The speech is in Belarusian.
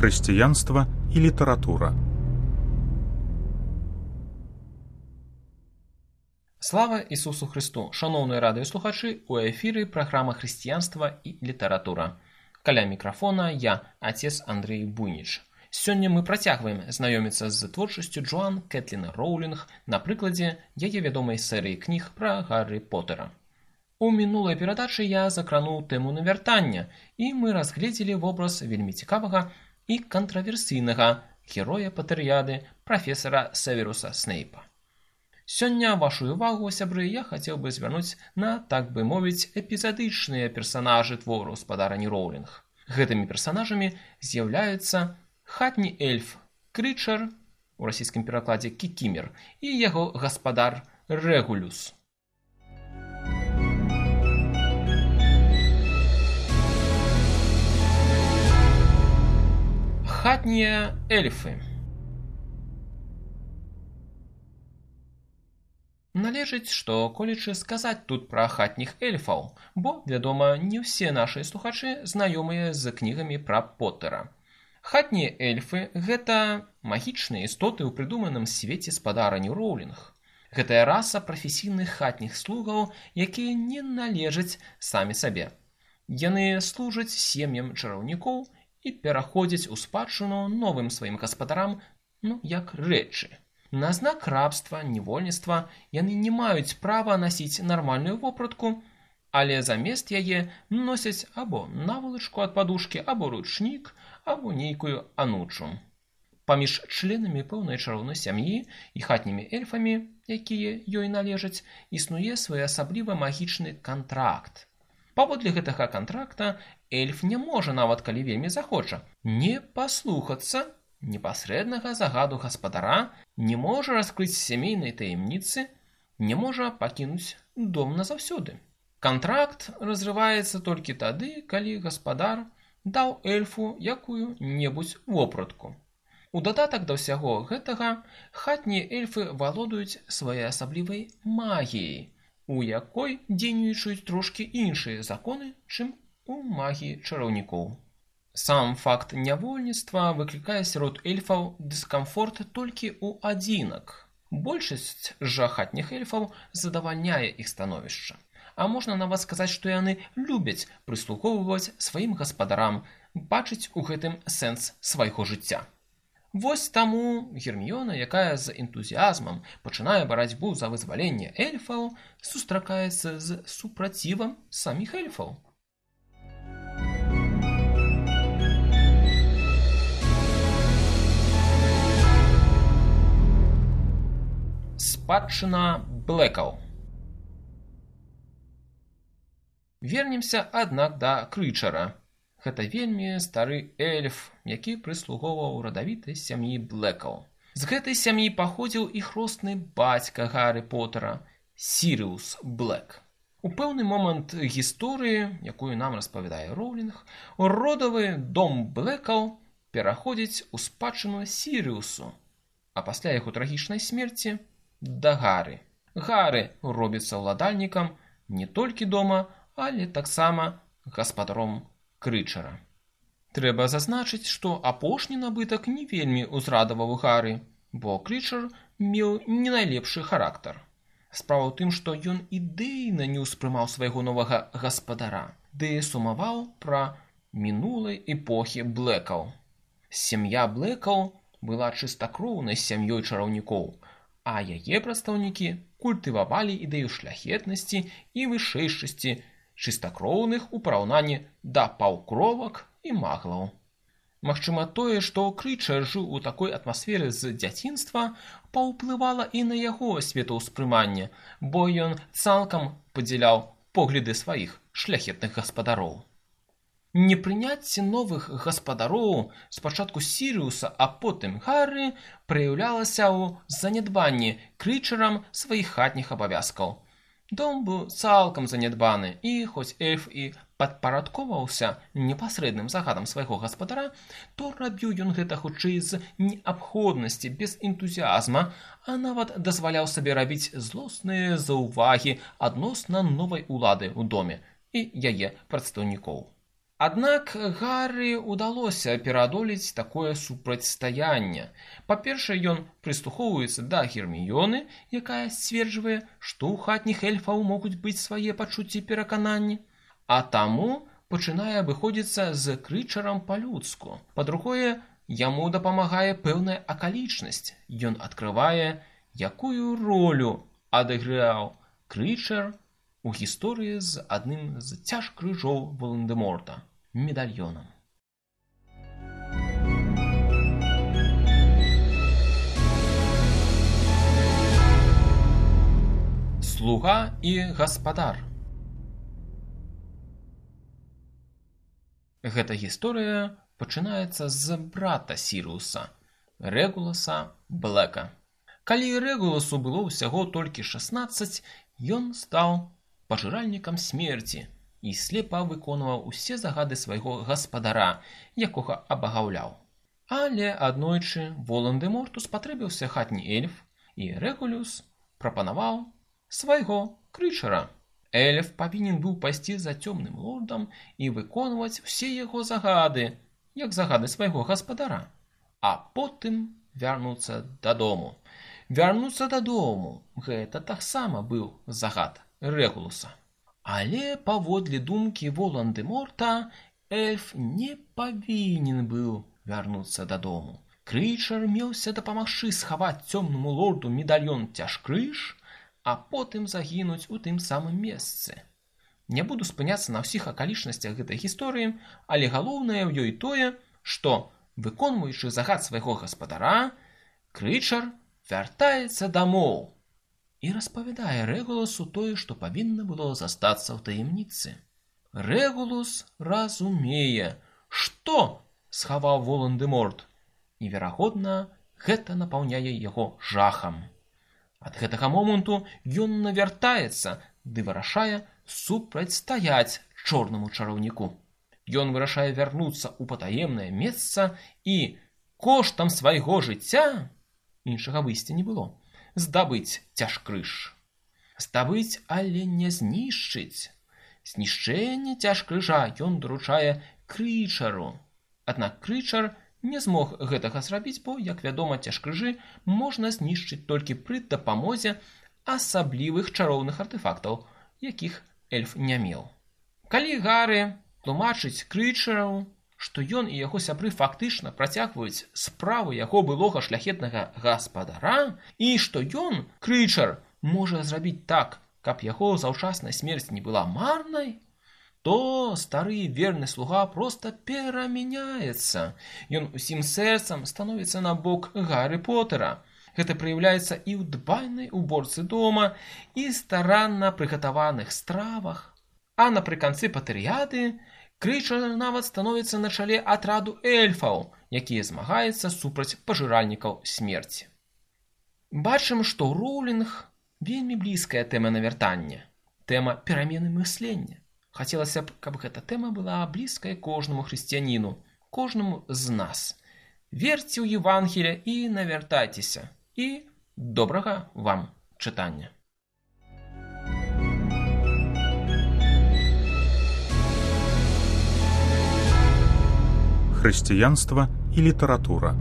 Хрысціянства і літаратура. Слава Ісусу Христу! Шановні радыёслухачы, у эфіры праграма «Хрысціянства і літаратура». Каля мікрафона я, отец Андрей Буйніч. Сёння мы працягваем знаёміцца з творчасцю Джоан Кэтлін Роулінг на прыкладзе яе вядомай серыі кніг пра Гаррі Поттера. У мінулай перадачы я закрануў тэму навяртання, і мы разгледзелі вобраз вельмі цікавага і кантраверсійнага героя Патэр'яды, прафесара Северуса Снейпа. Сёння вашу увагу, сябры, я хацеў бы звярнуць на, так бы мовіць, эпізадычныя персанажы твору спадарні Роулінг. Гэтымі персанажамі з'яўляюцца хатні эльф Крычар, у расійскім перакладзе Кікімер, і яго гаспадар Рэгулюс. Хатнія эльфы. Належыць, што колечы сказаць тут пра хатніх эльфаў, бо, вядома, не ўсе нашыя слухачы знаёмыя з кнігамі пра Поттера. Хатнія эльфы – гэта магічныя істоты ў прыдуманым свеце спадарні Роулінг. Гэтая раса прафесійных хатніх слугаў, якія не належаць самі сабе. Яны служаць сем'ям чараўнікоў і пераходзяць у спадчыну новым сваім гаспадарам, як рэчы. На знак рабства, невольніцтва яны не маюць права насіць нармальную вопратку, але замест яе носяць або навалачку ад падушкі, або ручнік, або нейкую анучу. Паміж членамі пэўнай чароўнай сям'і і хатнімі эльфамі, якія ёй належаць, існуе своеасаблівы магічны кантракт. Паводле гэтага кантракта эльф не можа, нават калі вельмі захоча, не паслухацца непасрэднага загаду гаспадара, не можа раскрыць сямейнай таямніцы, не можа пакінуць дом назаўсёды. Кантракт разрываецца толькі тады, калі гаспадар даў эльфу якую-небудзь вопратку. У дадатак да ўсяго гэтага хатнія эльфы валодаюць своеасаблівай магіяй, у якой дзейнічаюць трошкі іншыя законы, чым у магіі чараўнікоў. Сам факт нявольніцтва выклікае сярод эльфаў дыскамфорт толькі ў адзінак. Большасць жа хатніх эльфаў задавальняе іх становішча. А можна нават сказаць, што яны любяць прыслугоўваць сваім гаспадарам, бачыць у гэтым сэнс свайго жыцця. Вось таму Герміёна, якая з энтузіязмам пачынае барацьбу за вызваленне эльфаў, сустракаецца з супрацівам саміх эльфаў. Спадчына Блэкаў. Вернемся, аднак, да Крычара. Гэта вельмі стары эльф, які прыслугоўваў радавітай сям'і Блэкаў. З гэтай сям'і паходзіў і хросны бацька Гаррі Поттера, Сірыус Блэк. У пэўны момант гісторыі, якую нам распавядае Роулінг, родавы дом Блэкаў пераходзіць у спадчыну Сірыусу, а пасля яго трагічнай смерці да Гаррі. Гаррі робіцца ўладальнікам не толькі дома, але таксама гаспадаром Крычара. Трэба зазначыць, што апошні набытак не вельмі ўзрадаваў Гаррі, бо Крычар меў не найлепшы характар. Справа ў тым, што ён ідэйна не ўспрымаў свайго новага гаспадара, ды сумаваў пра мінулай эпохі Блэкаў. Сям'я Блэкаў была чыстакроўнай сям'ёй чараўнікоў, а яе прадстаўнікі культывавалі ідэю шляхетнасці і вышэйшасці чыстакроўных у параўнанні да паўкровак і маглаў. Магчыма, тое, што Крычар жыў у такой атмасферы з дзяцінства, паўплывала і на яго светаўспрыманне, бо ён цалкам падзяляў погляды сваіх шляхетных гаспадароў. Непрыняцце новых гаспадароў, спачатку Сірыуса, а потым Гаррі, праяўлялася ў занядбанні Крычарам сваіх хатніх абавязкаў. Дом быў цалкам занядбаны, і хоць эльф і падпарадковаўся непасрэдным загадам свайго гаспадара, то рабіў ён гэта хутчэй з неабходнасці, без энтузіазма, а нават дазваляў сабе рабіць злосныя заўвагі адносна новай улады ў доме і яе прадстаўнікоў. Аднак Гаррі ўдалося пераадолець такое супрацьстаянне. Па-першае, ён прыслухоўваецца да Герміёны, якая сцверджвае, што ў хатніх эльфаў могуць быць свае пачуцці і перакананні, а таму пачынае абыходзіцца з Крычарам па-людску. Па-другое, яму дапамагае пэўная акалічнасць. Ён адкрывае, якую ролю адыграў Крычар у гісторыі з адным з цяжкрыжоў Волан-дэ-Морта – медальёнам. Слуга і гаспадар. Гэта гісторыя пачынаецца з брата Сірыуса, Рэгуласа Блэка. Калі Рэгуласу было ўсяго толькі 16, ён стаў пажыральнікам смерці і слепа выконваў усе загады свайго гаспадара, якога абагаўляў. Але аднойчы Волан-дэ-Морту спатрэбіўся хатні эльф, і Рэгулус прапанаваў свайго Крычара. Эльф павінен быў пайсці за цёмным лордам і выконваць усе яго загады, як загады свайго гаспадара, а потым вярнуцца дадому. Вярнуцца дадому – гэта таксама быў загад Рэгулуса. Але паводле думкі Волан-дэ-Морта эльф не павінен быў вярнуцца дадому. Крычар меўся дапамагчы схаваць цёмнаму лорду медальён Цяжкрыж, а потым загінуць у тым самым месцы. Не буду спыняцца на ўсіх акалічнасцях гэтай гісторыі, але галоўнае ў ёй тое, што, выконваючы загад свайго гаспадара, Крычар вяртаецца дамоў і распавядае Рэгуласу тое, што павінна было застацца ў таямніцы. Рэгулус разумее, што схаваў Волан-дэ-Морт, і, верагодна, гэта напаўняе яго жахам. Ад гэтага моманту ён навяртаецца ды вырашае супрацьстаяць чорнаму чараўніку. Ён вырашае вярнуцца ў патаемнае месца і коштам свайго жыцця, іншага выйсця не было, здабыць Цяжкрыж. Здабыць, але не знішчыць. Знішчэнне Цяжкрыжа ён даручае Крычару. Аднак Крычар не змог гэтага зрабіць, бо, як вядома, Цяжкрыжы можна знішчыць толькі пры дапамозе асаблівых чароўных артэфактаў, якіх эльф не меў. Калі Гаррі тлумачыць Крычару, што ён і яго сябры фактычна працягваюць справы яго былога шляхетнага гаспадара, і што ён, Крычар, можа зрабіць так, каб яго заўчасная смерць не была марнай, то стары верны слуга проста перамяняецца. Ён усім сэрцам становіцца на бок Гаррі Поттера. Гэта праяўляецца і ў дбайнай уборцы дома, і старанна прыгатаваных стравах. А напрыканцы патэрыяды Крычар нават становіцца на чале атраду эльфаў, якія змагаюцца супраць пажыральнікаў смерці. Бачым, што Роўлінг вельмі блізкая тэма навяртання, тэма перамены мыслення. Хацелася б, каб гэта тэма была блізкая кожнаму хрысціяніну, кожнаму з нас. Верце ў Евангелія і навяртайцеся. І добрага вам чытання. Хрысціянства і літаратура.